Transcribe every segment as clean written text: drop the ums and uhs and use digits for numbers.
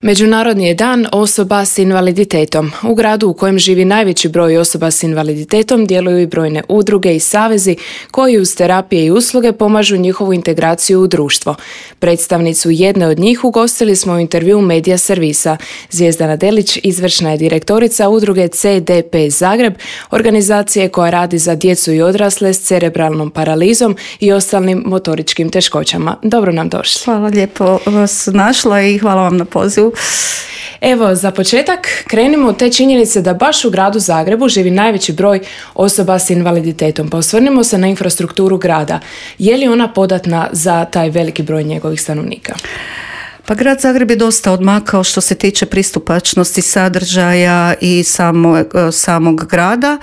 Međunarodni je dan osoba s invaliditetom. U gradu u kojem živi najveći broj osoba s invaliditetom djeluju i brojne udruge i savezi koji uz terapije i usluge pomažu njihovu integraciju u društvo. Predstavnicu jedne od njih ugostili smo u intervjuu Medija servisa. Zvijezdana Delić izvršna je direktorica udruge CDP Zagreb, organizacije koja radi za djecu i odrasle s cerebralnom paralizom i ostalim motoričkim teškoćama. Dobro nam došli. Hvala, lijepo vas našla i hvala vam na pozivu. Evo, za početak krenimo od te činjenice da baš u gradu Zagrebu živi najveći broj osoba s invaliditetom. Pa osvrnimo se na infrastrukturu grada. Je li ona podatna za taj veliki broj njegovih stanovnika? Pa grad Zagreb je dosta odmakao što se tiče pristupačnosti sadržaja i samog grada.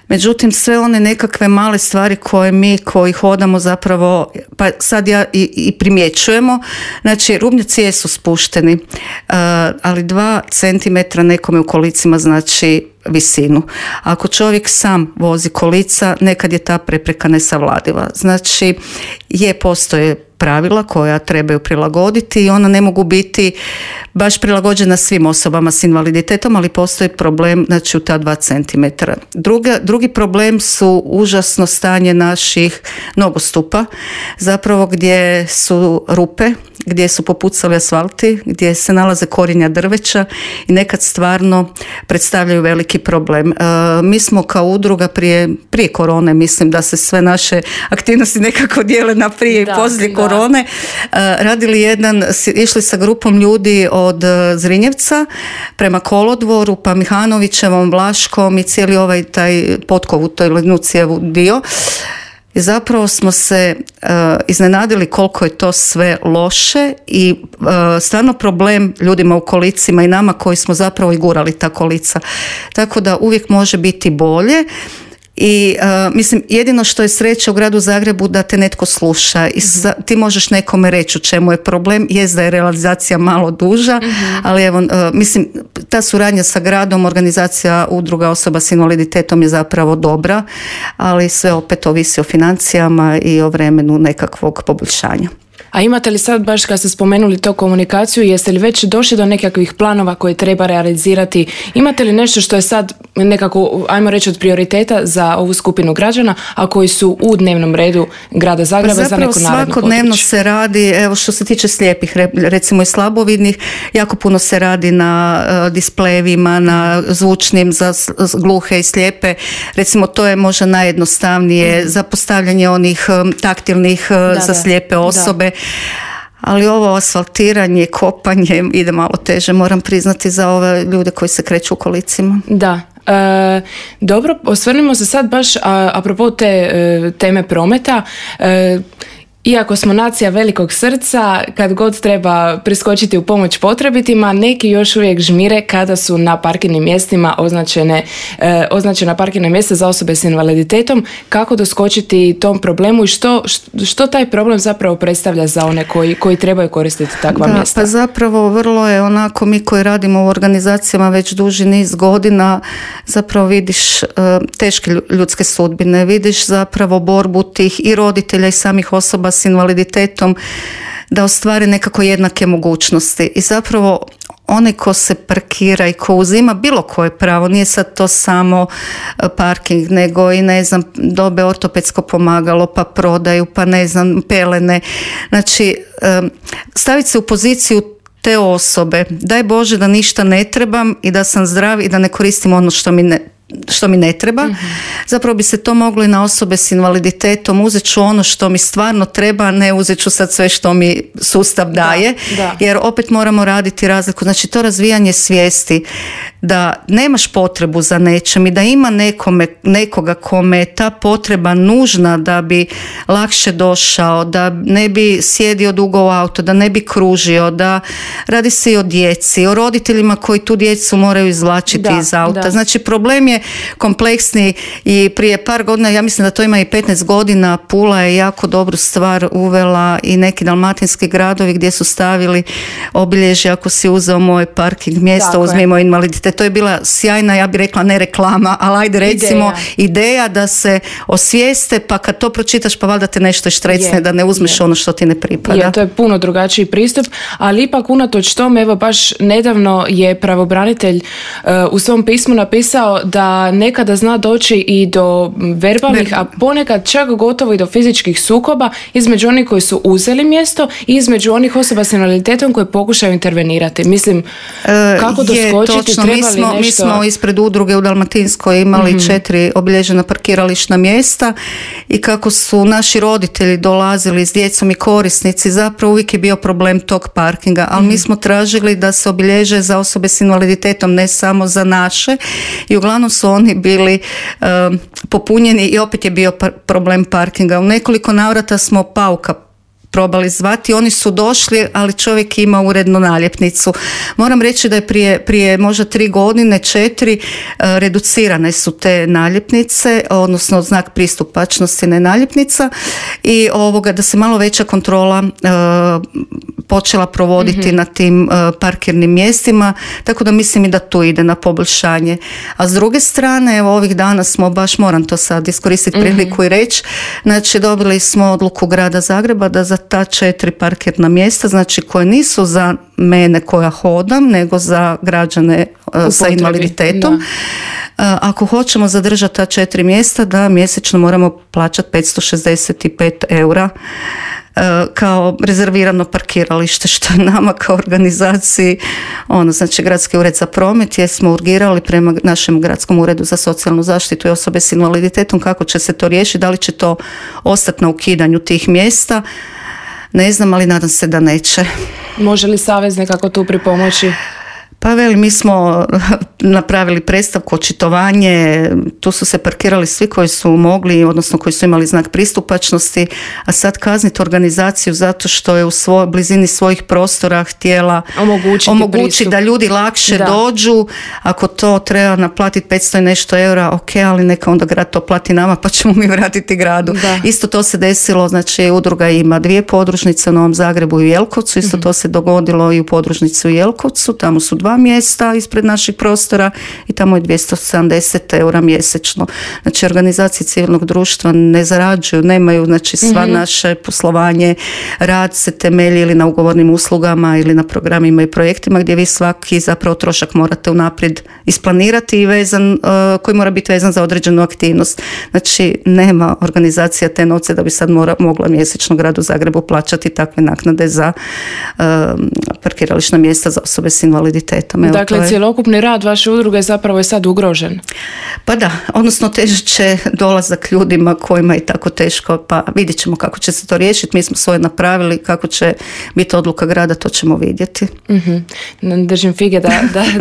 Međutim, sve one nekakve male stvari koje mi koji hodamo zapravo, pa sad ja i primjećujemo, znači rubnjaci jesu spušteni, ali 2 centimetra nekome u kolicima znači visinu. Ako čovjek sam vozi kolica, nekad je ta prepreka nesavladiva. Znači, postoje pravila koja trebaju prilagoditi i ona ne mogu biti baš prilagođena svim osobama s invaliditetom, ali postoji problem, znači, u ta 2 centimetra. Drugi problem su užasno stanje naših nogostupa, zapravo gdje su rupe, gdje su popucali asfalti, gdje se nalaze korijenja drveća i nekad stvarno predstavljaju veliki problem. Mi smo kao udruga prije korone, mislim da se sve naše aktivnosti nekako dijele na prije i poslije korone, radili išli sa grupom ljudi od Zrinjevca prema Kolodvoru, pa Mihanovićevom, Vlaškom i cijeli ovaj taj Potkovu, to je Lenucijevu dio. I zapravo smo se iznenadili koliko je to sve loše i stvarno problem ljudima u kolicima i nama koji smo zapravo i gurali ta kolica. Tako da uvijek može biti bolje. I mislim, jedino što je sreća u gradu Zagrebu da te netko sluša i ti možeš nekome reći u čemu je problem, jest da je realizacija malo duža, ali evo, mislim, ta suradnja sa gradom, organizacija udruga osoba s invaliditetom je zapravo dobra, ali sve opet ovisi o financijama i o vremenu nekakvog poboljšanja. A imate li sad, baš kad ste spomenuli to komunikaciju, jeste li već došli do nekakvih planova koje treba realizirati? Imate li nešto što je sad nekako, ajmo reći, od prioriteta za ovu skupinu građana, a koji su u dnevnom redu grada Zagreba za neko naredno područje? Zapravo svakodnevno se radi, evo što se tiče slijepih, recimo i slabovidnih, jako puno se radi na displejevima, na zvučnim za gluhe i slijepe. Recimo to je možda najjednostavnije za postavljanje onih taktilnih za slijepe osobe. Ali ovo asfaltiranje, kopanje ide malo teže, moram priznati, za ove ljude koji se kreću u kolicima. Da. Dobro, osvrnimo se sad baš apropo te teme prometa. Iako smo nacija velikog srca, kad god treba priskočiti u pomoć potrebitima, neki još uvijek žmire kada su na parkirnim mjestima označena parkirna mjesta za osobe s invaliditetom. Kako doskočiti tom problemu i što taj problem zapravo predstavlja za one koji trebaju koristiti takva mjesta? Pa zapravo vrlo je onako, mi koji radimo u organizacijama već duži niz godina, zapravo vidiš teške ljudske sudbine, vidiš zapravo borbu tih i roditelja i samih osoba s invaliditetom da ostvare nekako jednake mogućnosti. I zapravo onaj ko se parkira i ko uzima bilo koje pravo, nije sad to samo parking, nego i dobe ortopedsko pomagalo, pa prodaju, pa pelene. Znači, staviti se u poziciju te osobe, daj Bože da ništa ne trebam i da sam zdrav i da ne koristim ono što mi ne treba. Zapravo bi se to moglo i na osobe s invaliditetom, uzet ću ono što mi stvarno treba, ne uzet ću sad sve što mi sustav daje, jer opet moramo raditi razliku. Znači to razvijanje svijesti da nemaš potrebu za nečem i da ima nekoga kome je ta potreba nužna da bi lakše došao, da ne bi sjedio dugo u auto, da ne bi kružio, da radi se i o djeci, o roditeljima koji tu djecu moraju izvlačiti iz auta. Znači problem je kompleksni i prije par godina, ja mislim da to ima i 15 godina, Pula je jako dobru stvar uvela i neki dalmatinski gradovi gdje su stavili obilježje, ako si uzeo moje parking mjesto, uzmimo invaliditet naljepnice, to je bila sjajna, ja bih rekla ne reklama, ali ajde recimo ideja da se osvijeste, pa kad to pročitaš pa valjda te nešto štrecne da ne uzmeš ono što ti ne pripada. To je puno drugačiji pristup, ali ipak unatoč tome, evo baš nedavno je pravobranitelj u svom pismu napisao da nekada zna doći i do verbalnih, a ponekad čak gotovo i do fizičkih sukoba između onih koji su uzeli mjesto i između onih osoba s invaliditetom koje pokušaju intervenirati. Mislim, kako doskočiti, treba li nešto... Mi smo ispred udruge u Dalmatinskoj imali 4 obilježena parkirališna mjesta i kako su naši roditelji dolazili s djecom i korisnici, zapravo uvijek je bio problem tog parkinga, ali mi smo tražili da se obilježe za osobe s invaliditetom, ne samo za naše, i uglavnom su oni bili popunjeni i opet je bio problem parkinga. U nekoliko navrata smo Pauka probali zvati, oni su došli, ali čovjek ima urednu naljepnicu. Moram reći da je prije možda 3 godine, 4, reducirane su te naljepnice, odnosno znak pristupačnosti, ne naljepnica, i da se malo veća kontrola počela provoditi na tim parkirnim mjestima, tako da mislim i da tu ide na poboljšanje. A s druge strane, evo ovih dana smo baš, moram to sad iskoristiti priliku i reći, znači dobili smo odluku Grada Zagreba da za ta 4 parkirna mjesta, znači koje nisu za mene koja hodam, nego za građane sa invaliditetom. Ako hoćemo zadržati ta 4 mjesta, da mjesečno moramo plaćati 565 eura kao rezervirano parkiralište, što je nama kao organizaciji, znači Gradski ured za promet, jesmo urgirali prema našem Gradskom uredu za socijalnu zaštitu i osobe s invaliditetom kako će se to riješiti, da li će to ostati na ukidanju tih mjesta. Ne znam, ali nadam se da neće. Može li savez nekako tu pripomoći? Pa mi smo napravili predstavku, očitovanje, tu su se parkirali svi koji su mogli, odnosno koji su imali znak pristupačnosti, a sad kazniti organizaciju zato što je u blizini svojih prostora htjela omogućiti da ljudi lakše dođu, ako to treba naplatiti 500 i nešto eura, ok, ali neka onda grad to plati nama pa ćemo mi vratiti gradu. Isto to se desilo, znači udruga ima 2 podružnice u Novom Zagrebu i Jelkovcu, isto to se dogodilo i u podružnici u Jelkovcu, tamo su 2 mjesta ispred naših prostora i tamo je 270 eura mjesečno. Znači organizacije civilnog društva ne zarađuju, nemaju, znači sva naše poslovanje, rad se temelji ili na ugovornim uslugama ili na programima i projektima gdje vi svaki zapravo trošak morate unaprijed isplanirati i koji mora biti vezan za određenu aktivnost. Znači nema organizacija te novce da bi sad mogla mjesečno Gradu Zagrebu plaćati takve naknade za parkirališna mjesta za osobe s invaliditetom. Dakle, cjelokupni rad vaše udruge zapravo je sad ugrožen. Pa da, odnosno težit će dolazak ljudima kojima je tako teško, pa vidjet ćemo kako će se to riješiti. Mi smo svoje napravili, kako će biti odluka grada, to ćemo vidjeti. Držim fige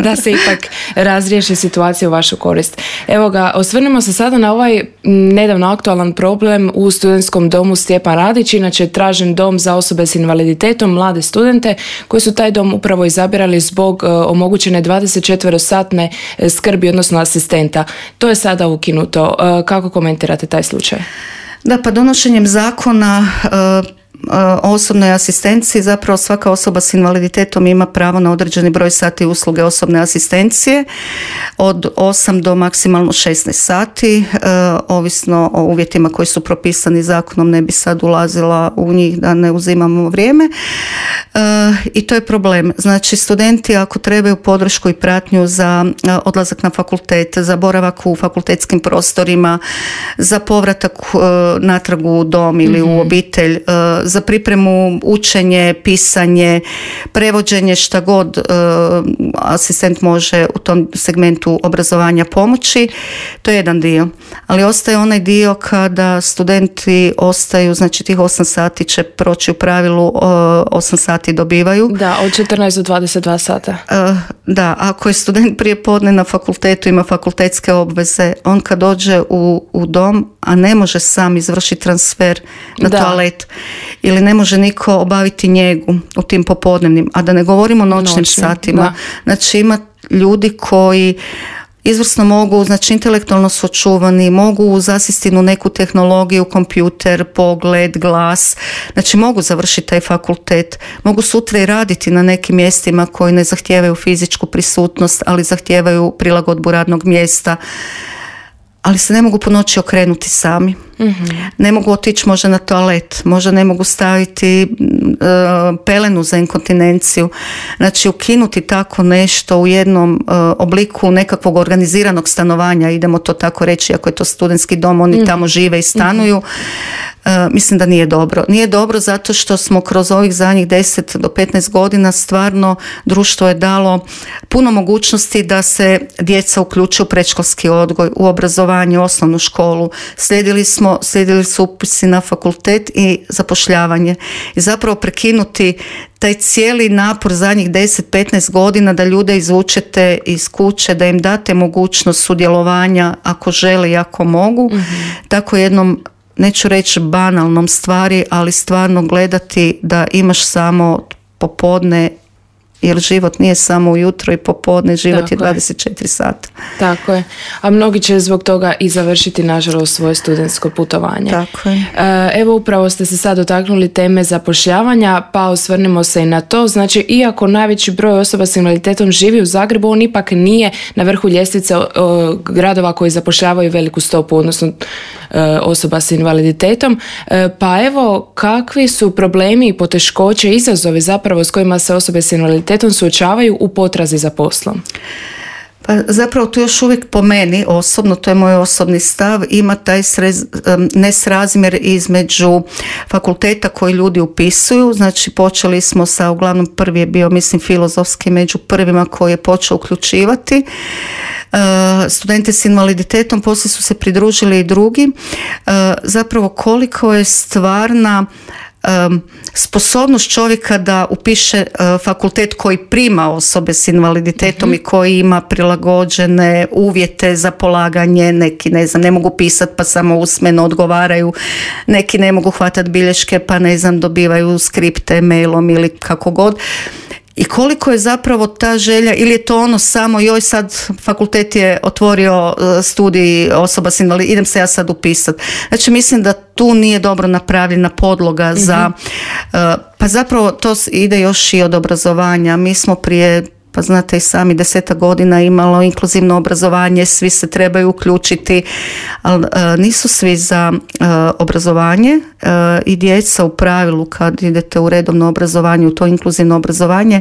da se ipak razriješi situacija u vašu korist. Evo ga, osvrnimo se sada na ovaj nedavno aktualan problem u studentskom domu Stjepan Radić, inače tražen dom za osobe s invaliditetom, mlade studente koji su taj dom upravo izabirali zbog omogućene 24-satne skrbi, odnosno asistenta. To je sada ukinuto. Kako komentirate taj slučaj? Da, pa donošenjem zakona o osobnoj asistenciji zapravo svaka osoba s invaliditetom ima pravo na određeni broj sati usluge osobne asistencije od 8 do maksimalno 16 sati, ovisno o uvjetima koji su propisani zakonom, ne bi sad ulazila u njih da ne uzimamo vrijeme. I to je problem. Znači studenti ako trebaju podršku i pratnju za odlazak na fakultet, za boravak u fakultetskim prostorima, za povratak natrag u dom ili u obitelj, za pripremu, učenje, pisanje, prevođenje, šta god asistent može u tom segmentu obrazovanja pomoći, to je jedan dio. Ali ostaje onaj dio kada studenti ostaju, znači tih 8 sati će proći u pravilu, 8 sati dobivaju. Da, od 14 do 22 sata. Da, ako je student prije podne na fakultetu, ima fakultetske obveze, on kad dođe u dom, a ne može sam izvršiti transfer na toalet ili ne može niko obaviti njegu u tim popodnevnim, a da ne govorimo o noćnim satima. Da. Znači ima ljudi koji izvrsno mogu, znači intelektualno su očuvani, mogu zasjesti u neku tehnologiju, kompjuter, pogled, glas, znači mogu završiti taj fakultet, mogu sutra i raditi na nekim mjestima koji ne zahtijevaju fizičku prisutnost, ali zahtijevaju prilagodbu radnog mjesta, ali se ne mogu po noći okrenuti sami. Ne mogu otići možda na toalet, možda ne mogu staviti pelenu za inkontinenciju. Znači ukinuti tako nešto u jednom obliku nekakvog organiziranog stanovanja, idemo to tako reći, ako je to studentski dom, oni tamo žive i stanuju. Mislim da nije dobro. Nije dobro zato što smo kroz ovih zadnjih 10 do 15 godina stvarno društvo je dalo puno mogućnosti da se djeca uključe u predškolski odgoj, u obrazovanje, u osnovnu školu. Slijedili su upisi na fakultet i zapošljavanje. I zapravo prekinuti taj cijeli napor zadnjih 10-15 godina da ljude izvučete iz kuće, da im date mogućnost sudjelovanja ako žele i ako mogu. Tako jednom, neću reći banalnom stvari, ali stvarno gledati da imaš samo popodne, jer život nije samo ujutro i popodne, život tako je 24 sata. Tako je. A mnogi će zbog toga i završiti, nažalost, svoje studentsko putovanje. Tako je. Evo, upravo ste se sad dotaknuli teme zapošljavanja, pa osvrnimo se i na to. Znači, iako najveći broj osoba s invaliditetom živi u Zagrebu, on ipak nije na vrhu ljestvice gradova koji zapošljavaju veliku stopu, odnosno osoba s invaliditetom. Pa evo, kakvi su problemi i poteškoće i izazovi zapravo s kojima se osobe s invaliditetom suočavaju u potrazi za poslom? Pa zapravo tu još uvijek po meni osobno, to je moj osobni stav, ima taj nesrazmjer između fakulteta koji ljudi upisuju. Znači počeli smo sa, uglavnom prvi je bio, mislim, filozofski među prvima koji je počeo uključivati studente s invaliditetom, poslije su se pridružili i drugi. Zapravo koliko je stvarna sposobnost čovjeka da upiše fakultet koji prima osobe s invaliditetom i koji ima prilagođene uvjete za polaganje, neki ne mogu pisati pa samo usmeno odgovaraju, neki ne mogu hvatati bilješke pa dobivaju skripte mailom ili kako god. I koliko je zapravo ta želja, ili je to ono samo, joj sad fakultet je otvorio studij osoba s invaliditetom, idem se ja sad upisat. Znači mislim da tu nije dobro napravljena podloga za, pa zapravo to ide još i od obrazovanja. Mi smo prije, pa znate i sami, 10 godina imalo inkluzivno obrazovanje, svi se trebaju uključiti, ali nisu svi za obrazovanje i djeca u pravilu kad idete u redovno obrazovanje, u to inkluzivno obrazovanje,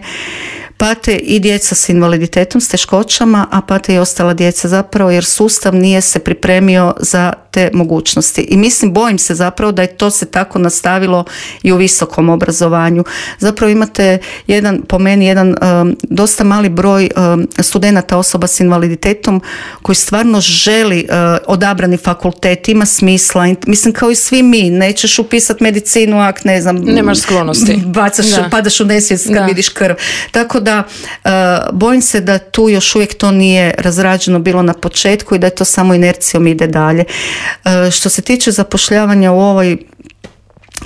pate i djeca s invaliditetom, s teškoćama, a pate i ostala djeca zapravo jer sustav nije se pripremio za te mogućnosti. I mislim, bojim se zapravo da je to se tako nastavilo i u visokom obrazovanju. Zapravo imate po meni jedan dosta mali broj studenata osoba s invaliditetom koji stvarno želi odabrani fakultet, ima smisla. Mislim, kao i svi mi, nećeš upisati medicinu ako nemaš sklonosti. Padaš u nesvijest kad vidiš krv. Tako da bojim se da tu još uvijek to nije razrađeno bilo na početku i da je to samo inercijom ide dalje. Što se tiče zapošljavanja u ovoj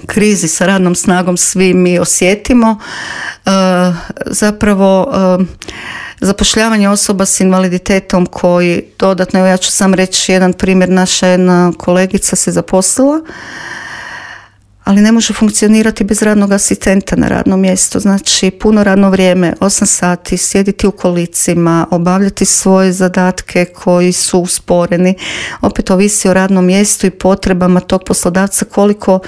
krizi sa radnom snagom svi mi osjetimo, zapravo zapošljavanje osoba s invaliditetom koji dodatno, evo ja ću sam reći jedan primjer, naša jedna kolegica se zaposlila, ali ne može funkcionirati bez radnog asistenta na radnom mjestu. Znači puno radno vrijeme, 8 sati, sjediti u kolicima, obavljati svoje zadatke koji su usporeni. Opet ovisi o radnom mjestu i potrebama tog poslodavca, koliko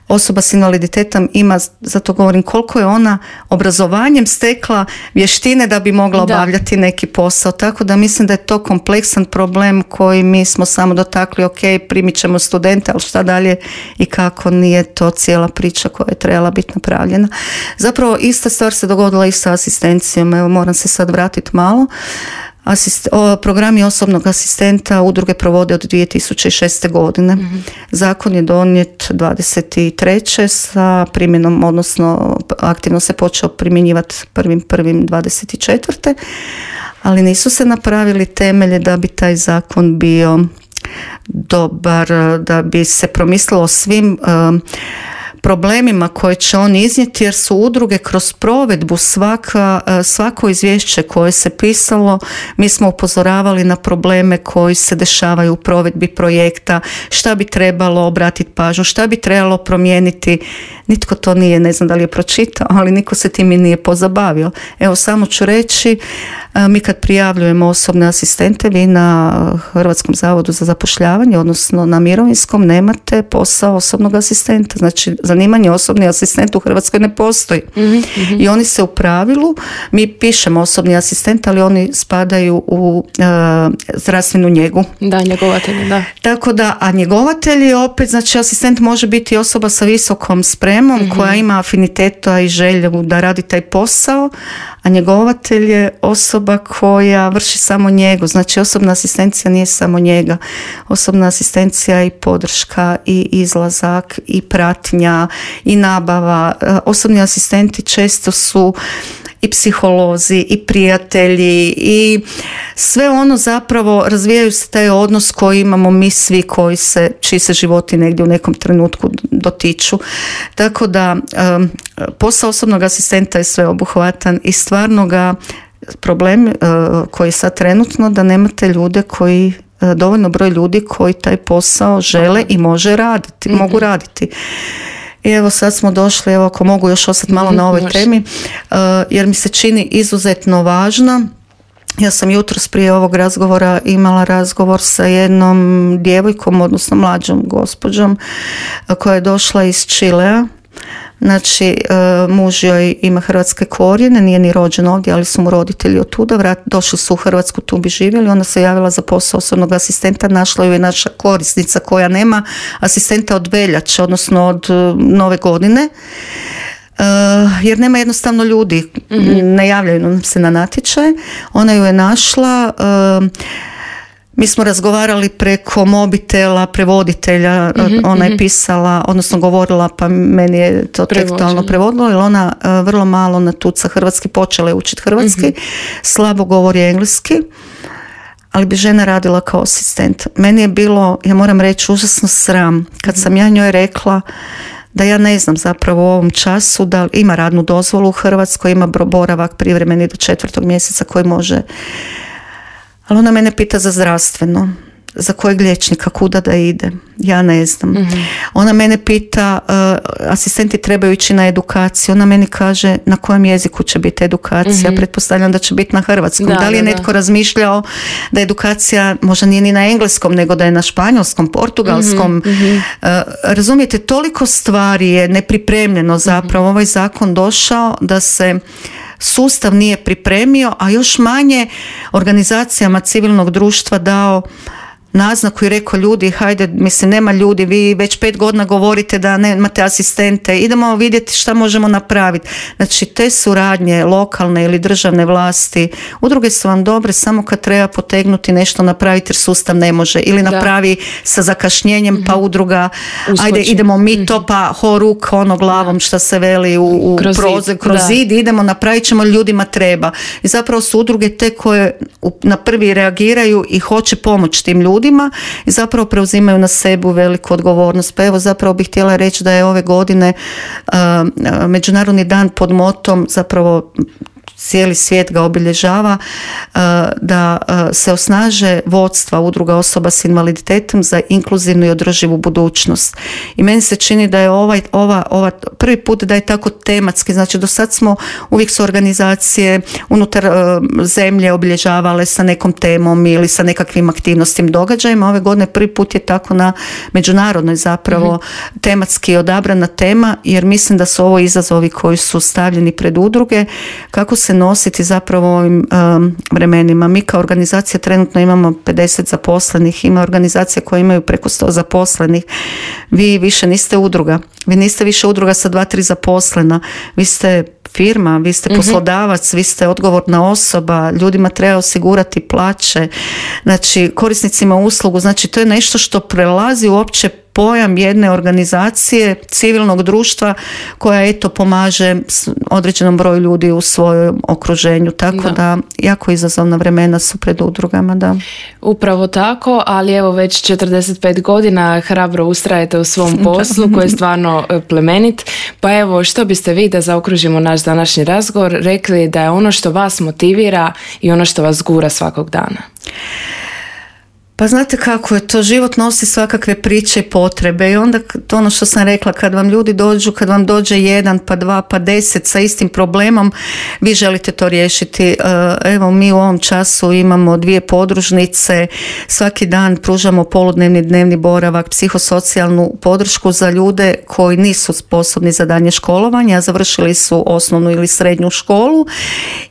osoba s invaliditetom ima, zato govorim, koliko je ona obrazovanjem stekla vještine da bi mogla obavljati neki posao. Tako da mislim da je to kompleksan problem koji mi smo samo dotakli, ok, primit ćemo studente, ali šta dalje i kako, nije to cijela priča koja je trebala biti napravljena. Zapravo ista stvar se dogodila i sa asistencijom, evo moram se sad vratiti malo. Programi osobnog asistenta udruge provode od 2006. godine. Zakon je donijet 23. sa primjenom, odnosno aktivno se počeo primjenjivati 1.1.24. ali nisu se napravili temelje da bi taj zakon bio dobar, da bi se promislilo o svim problemima koje će on iznijeti, jer su udruge kroz provedbu svako izvješće koje se pisalo, mi smo upozoravali na probleme koji se dešavaju u provedbi projekta, šta bi trebalo obratiti pažnju, šta bi trebalo promijeniti. Nitko to nije, ne znam da li je pročitao, ali niko se tim i nije pozabavio. Evo, samo ću reći, mi kad prijavljujemo osobne asistente, vi na Hrvatskom zavodu za zapošljavanje, odnosno na mirovinskom, nemate posao osobnog asistenta. Znači, zanimanje osobni asistent u Hrvatskoj ne postoji. I oni se u pravilu, mi pišemo osobni asistent, ali oni spadaju u zdravstvenu njegu. Da, njegovatelji, da. Tako da, a njegovatelji opet, znači asistent može biti osoba sa visokom spremom koja ima afiniteta i želju da radi taj posao, a njegovatelj je osoba koja vrši samo njegu. Znači, osobna asistencija nije samo njega. Osobna asistencija je i podrška, i izlazak, i pratnja, i nabava. Osobni asistenti često su i psiholozi, i prijatelji, i sve ono zapravo razvijaju se taj odnos koji imamo mi svi čiji se životi negdje u nekom trenutku dotiču. Tako da posao osobnog asistenta je sveobuhvatan i stvarno ga problem koji je sad trenutno da nemate ljude koji, dovoljno broj ljudi koji taj posao žele i mogu raditi. I evo sad smo došli, evo ako mogu još ostati malo na ovoj temi, jer mi se čini izuzetno važna. Ja sam jutros prije ovog razgovora imala razgovor sa jednom djevojkom, odnosno mlađom gospođom koja je došla iz Čilea. Znači, muž joj ima hrvatske korijene, nije ni rođen ovdje, ali su mu roditelji od tuda, došli su u Hrvatsku, tu bi živjeli, ona se javila za posao osobnog asistenta, našla ju je naša korisnica koja nema asistenta od veljače, odnosno od nove godine, jer nema jednostavno ljudi, ne javljaju nam se na natječaj. Ona ju je našla. Mi smo razgovarali preko mobitela, prevoditelja, ona je pisala, odnosno govorila, pa meni je to tekstualno prevodilo, jer ona vrlo malo natuca hrvatski, počela je učiti hrvatski, slabo govori engleski, ali bi žena radila kao asistent. Meni je bilo, ja moram reći, užasno sram kad sam ja njoj rekla da ja ne znam zapravo u ovom času da ima radnu dozvolu u Hrvatskoj, ima boravak privremeni do 4. mjeseca koji može. Ali ona mene pita za zdravstveno, za kojeg liječnika, kuda da ide. Ja ne znam. Ona mene pita, asistenti trebaju ići na edukaciju. Ona meni kaže na kojem jeziku će biti edukacija. Pretpostavljam da će biti na hrvatskom. Da li je netko razmišljao da edukacija možda nije ni na engleskom, nego da je na španjolskom, portugalskom. Razumijete, toliko stvari je nepripremljeno zapravo. Ovaj zakon došao da se sustav nije pripremio, a još manje organizacijama civilnog društva dao naznaku i rekao, ljudi, hajde, mislim, nema ljudi, vi već 5 godina govorite da nemate asistente, idemo vidjeti šta možemo napraviti. Znači, te suradnje lokalne ili državne vlasti, udruge su vam dobre samo kad treba potegnuti nešto napraviti jer sustav ne može, ili napravi sa zakašnjenjem, pa udruga ajde, idemo mi to, pa horuk ono glavom što se veli kroz zid, idemo, napravit ćemo, ljudima treba. I zapravo su udruge te koje na prvi reagiraju i hoće pomoći tim ljudima i zapravo preuzimaju na sebu veliku odgovornost. Pa evo, zapravo bih htjela reći da je ove godine Međunarodni dan pod motom, zapravo cijeli svijet ga obilježava, da se osnaže vodstva udruga osoba s invaliditetom za inkluzivnu i održivu budućnost. I meni se čini da je ova prvi put da je tako tematski, znači do sad smo uvijek su organizacije unutar zemlje obilježavale sa nekom temom ili sa nekakvim aktivnostima, događajima. Ove godine prvi put je tako na međunarodnoj zapravo tematski odabrana tema, jer mislim da su ovo izazovi koji su stavljeni pred udruge, kako se nositi zapravo u ovim vremenima. Mi kao organizacija trenutno imamo 50 zaposlenih, ima organizacije koje imaju preko 100 zaposlenih. Vi više niste udruga. Vi niste više udruga sa 2-3 zaposlena. Vi ste firma, vi ste poslodavac, vi ste odgovorna osoba, ljudima treba osigurati plaće, znači korisnicima uslugu, znači to je nešto što prelazi uopće pojam jedne organizacije civilnog društva koja eto pomaže određenom broju ljudi u svojem okruženju. Tako da jako izazovna vremena su pred udrugama. Da. Upravo tako, ali evo već 45 godina hrabro ustrajete u svom poslu koji je stvarno plemenit. Pa evo, što biste vi, da zaokružimo naš današnji razgovor, rekli da je ono što vas motivira i ono što vas gura svakog dana? Pa znate kako je to, život nosi svakakve priče i potrebe i onda to ono što sam rekla, kad vam ljudi dođu, kad vam dođe 1, pa 2, pa 10 sa istim problemom, vi želite to riješiti. Evo, mi u ovom času imamo 2 podružnice, svaki dan pružamo poludnevni, dnevni boravak, psihosocijalnu podršku za ljude koji nisu sposobni za daljnje školovanje, a završili su osnovnu ili srednju školu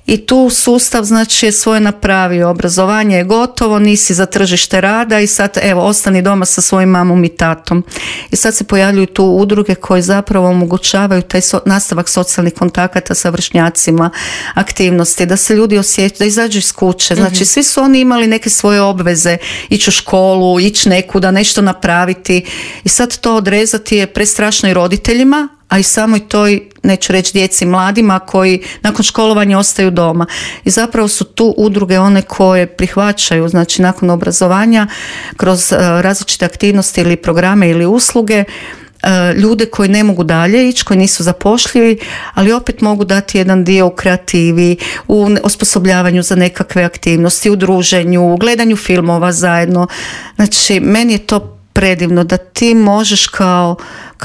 i tu sustav znači je svoje napravio, obrazovanje je gotovo, nisi za tržište rada i sad evo ostani doma sa svojim mamom i tatom. I sad se pojavljuju tu udruge koje zapravo omogućavaju taj nastavak socijalnih kontakata sa vršnjacima, aktivnosti, da se ljudi osjećaju, da izađu iz kuće. Znači svi su oni imali neke svoje obveze, ići u školu, ići nekuda, nešto napraviti i sad to odrezati je prestrašno i roditeljima, a i samoj toj, neću reći djeci, mladima koji nakon školovanja ostaju doma. I zapravo su tu udruge one koje prihvaćaju, znači nakon obrazovanja, kroz različite aktivnosti ili programe ili usluge, ljude koji ne mogu dalje ići, koji nisu zapošljivi, ali opet mogu dati jedan dio u kreativi, u osposobljavanju za nekakve aktivnosti, u druženju, u gledanju filmova zajedno. Znači, meni je to predivno da ti možeš kao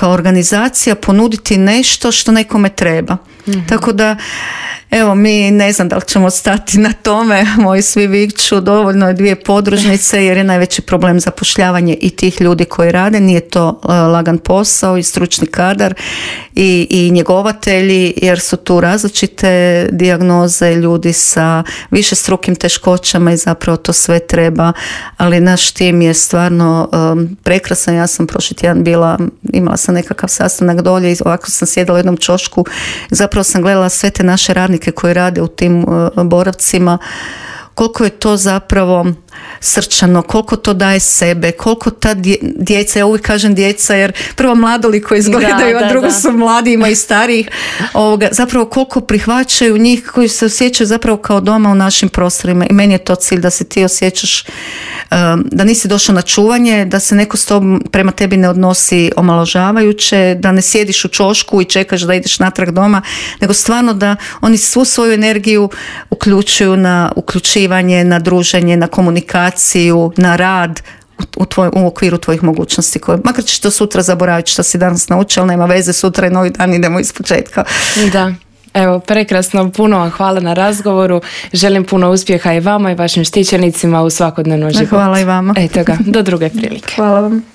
organizacija ponuditi nešto što nekome treba. Tako da, evo, mi ne znam da li ćemo stati na tome, moji svi vikću, dovoljno je 2 podružnice jer je najveći problem zapošljavanje i tih ljudi koji rade, nije to lagan posao i stručni kadar i njegovatelji, jer su tu različite dijagnoze, ljudi sa višestrukim teškoćama i zapravo to sve treba, ali naš tim je stvarno prekrasan. Ja sam prošli tjedan imala sam nekakav sastanak dolje i ovako sam sjedala u jednom ćošku, zapravo sam gledala sve te naše radnike koji rade u tim boravcima, koliko je to zapravo srčano, koliko to daje sebe, koliko ta djeca, ja uvijek kažem djeca jer prvo mladoliko izgledaju, a drugo su mladi, ima i starijih, zapravo koliko prihvaćaju njih koji se osjećaju zapravo kao doma u našim prostorima i meni je to cilj da se ti osjećaš da nisi došao na čuvanje, da se neko s tobom prema tebi ne odnosi omalovažavajuće, da ne sjediš u ćošku i čekaš da ideš natrag doma, nego stvarno da oni svu svoju energiju uključuju na uključivanje, na druženje, na komunikaciju, na rad u okviru tvojih mogućnosti. Makar ćeš to sutra zaboraviti što si danas naučio, ali nema veze, sutra je novi dan, idemo ispočetka. Da. Evo, prekrasno, puno vam hvala na razgovoru. Želim puno uspjeha i vama i vašim štićenicima u svakodnevnom životu. Hvala i vama. Eto ga, do druge prilike. Hvala vam.